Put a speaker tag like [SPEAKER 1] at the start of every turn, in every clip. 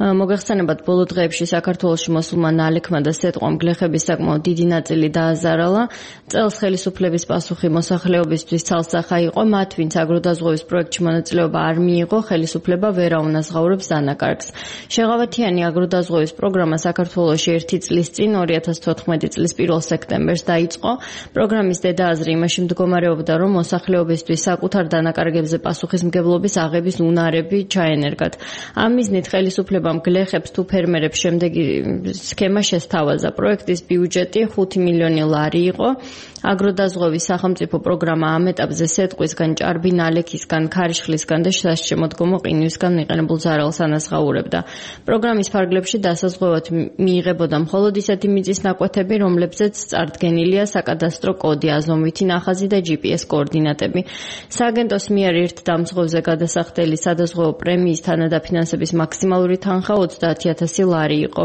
[SPEAKER 1] მოგეხსენებათ, ბოლო დღეებში საქართველოში მოსულმა ნალექმა და სეტყვამ გლეხების საკმაოდ დიდი ნაწილი დააზარალა. წელს ხელისუფლების პასუხი მოსახლეობისთვის ცალსახა იყო, მათ ვინც აგროდაზღვევის პროექტში მონაწილეობა არ მიიღო, ხელისუფლება ვერ აუნაზღაურებს დანაკარგს. შეღავათიანი აგროდაზღვევის პროგრამა საქართველოში 1 წლის წინ 2014 წლის 1 სექტემბერს დაიწყო. პროგრამის დედააზრი იმაში მდგომარეობდა, რომ მოსახლეობისთვის საკუთარ დანაკარგებზე პასუხისმგებლობის აღების უნარები ჩაენერგათ. ამ მიზნით ხელისუფლებამ გლეხებს თუ ფერმერებს შემდეგი სქემა შესთავაზა. პროექტის ბიუჯეტი 5 მილიონი ლარი იყო. აგროდაზღვევის სახელმწიფო პროგრამა ამ ეტაპზე სეტყვისგან, ჭარბი ნალექისგან, ქარიშხლისგან და სასჩემოდგომო ყინვისგან მიყენებულ ზარალს ანაზღაურებდა. პროგრამის ფარგლებში დასაზღვევად მიიღებოდა მხოლოდ ისეთი მიწის ნაკვეთები, რომლებზეც წარდგენილია საკადასტრო კოდი, აზომვითი ნახაზი და GPS კოორდინატები. სააგენტოს მიერ ერთ დამცღვევზე გადასახდელი სადაზღვევო პრემიის თანადაფინანსების მაქსიმალური თანხა 30,000 ლარი იყო.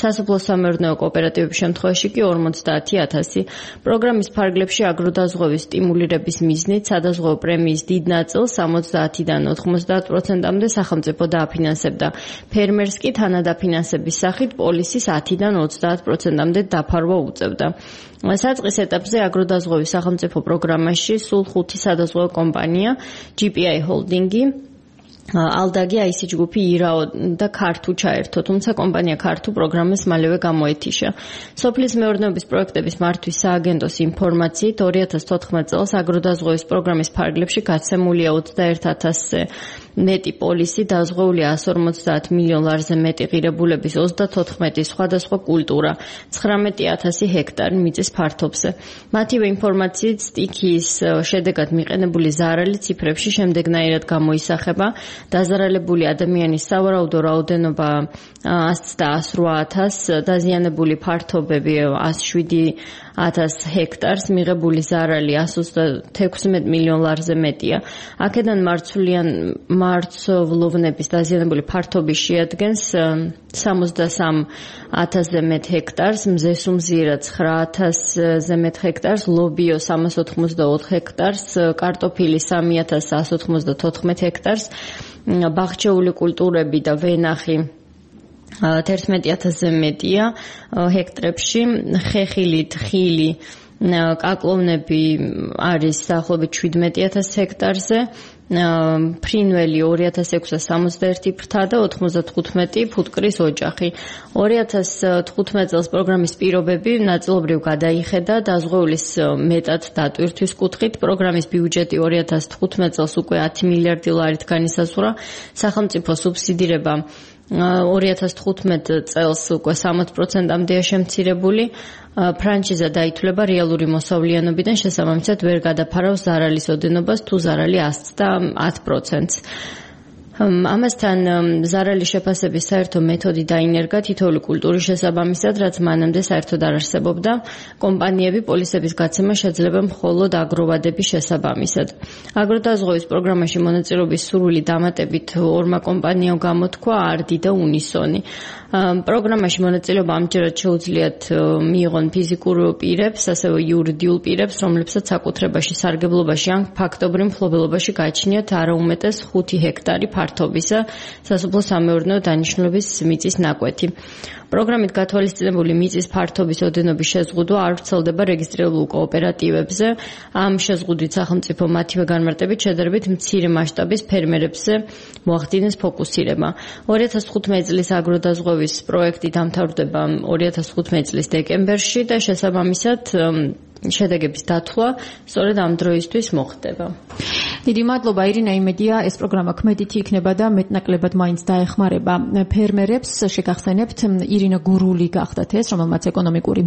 [SPEAKER 1] სასოფლო-სამეურნეო კოოპერატივების შემთხვევაში კი 50,000. პროგრამის ფარგლებში აგროდაზღვევის სტიმულირების მიზნით სადაზღვევო პრემიის დიდ ნაწილს 70-დან 90%-მდე სახელმწიფო დააფინანსებდა. ფერმერს კი თანადაფინანსების სახით პოლისის 10-დან 30%-მდე დაფარვა უწევდა. საწყის ეტაპზე აგროდაზღვევის სახელმწიფო პროგრამაში სულ 5 სადაზღვევო კომპანია, GPI ჰოლდინგი, ალდაგი, IC ჯგუფი, ირაო და ქართუ ჩაერთო, თუმცა კომპანია ქართუ პროგრამას მალევე გამოეთიშა. სოფლის მეურნეობის პროექტების მართვის სააგენტოს ინფორმაციით 2014 წელს აგროდაზღვევის პროგრამის ფარგლებში გაცემულია 21,000-ზე მეტი პოლისი, დაზღვეულია 150 მილიონ ლარზე მეტი ღირებულების 34 სხვადასხვა კულტურა, 19,000 ჰექტარი მიწის ფართობზე. მათივე ინფორმაციით სტიქიის შედეგად მიყენებული ზარალი ციფრებში შემდეგნაირად გამოისახება. დაზარალებული ადამიანის სავარაუდო რაოდენობა 100 და 108,000, დაზიანებული ფართობები 107,000 ჰექტარს, მიღებული ზარალი 116 მილიონ ლარზე მეტია. აქედან მარცვლოვნების დაზიანებული ფართობი შეადგენს 63,000-ზე მეტ ჰექტარს, მზესუმზირა 9,000-ზე მეტ ჰექტარს, ლობიო 384 ჰექტარს, კარტოფილი 3,194 ჰექტარს, ბაღჩეული კულტურები და ვენახი 11,000-ზე მეტია ჰექტრებში, ხეხილი, თხილი, კაკლოვნები არის დაახლოებით 17,000 ჰექტარზე, ფრინველი 2,661 ფრთა და 95 ფუტკრის ოჯახი. 2015 წელს პროგრამის პირობები ნაწილობრივ გადაიხედა დაზღვეულის მეტად დატვირთვის კუთხით. პროგრამის ბიუჯეტი 2015 წელს უკვე 10 მილიარდი ლარით განისაზღვრა. სახელმწიფო სუბსიდირება 2015 წელს უკვე 60%-მდეა შემცირებული. ფრანჩიზა დაითვლება რეალური მოსავლიანობიდან, შესაბამისად ვერ გადაფარავს ზარალის ოდენობას თუ ზარალი 10%-ს. ამასთან ზარალის შეფასების საერთო მეთოდი დაინერგა თითოეული კულტურის შესაბამისად, რაც მანამდე საერთოდ არ არსებობდა. კომპანიები პოლისების გაცემა შეძლება მხოლოდ აგროვადების შესაბამისად. აგროდაზღვევის პროგრამაში მონაწილეობის სურვილი დამატებით 2 კომპანიამ გამოთქვა, არდი და უნისონი. პროგრამაში მონაწილეობა ამჯერად შეუძლიათ მიიღონ ფიზიკურ პირებს, ასევე იურიდიულ პირებს, რომლებსაც საკუთრებაში, სარგებლობაში ან ფაქტობრივ მფლობელობაში გააჩნიათ არაუმეტეს 5 ჰექტარი ფართობისა სასოფლო-სამეურნეო დანიშნულების მიწის ნაკვეთი. პროგრამით გათვალისწინებული მიწის ფართობის ოდენობის შეზღუდვა არ ვრცელდება რეგისტრირებულ კოოპერატივებზე. ამ შეზღუდვით სახელმწიფო მათივე განმარტებით შედარებით მცირე მასშტაბის ფერმერებზე მოახდინეს ფოკუსირება. 2015 წლის აგროდაზღვევის პროექტი დამთავრდება 2015 წლის დეკემბერში და შესაბამისად შედეგების დათვლა სწორედ ამ დროისთვის მოხდება.
[SPEAKER 2] დიდი მადლობა ირინა, იმედია ეს პროგრამა ქმედითი იქნება და მეტნაკლებად მაინც დაეხმარება ფერმერებს. შეგახსენებთ, ირინა გურული გახდათ ეს, რომელმაც ეკონომიკური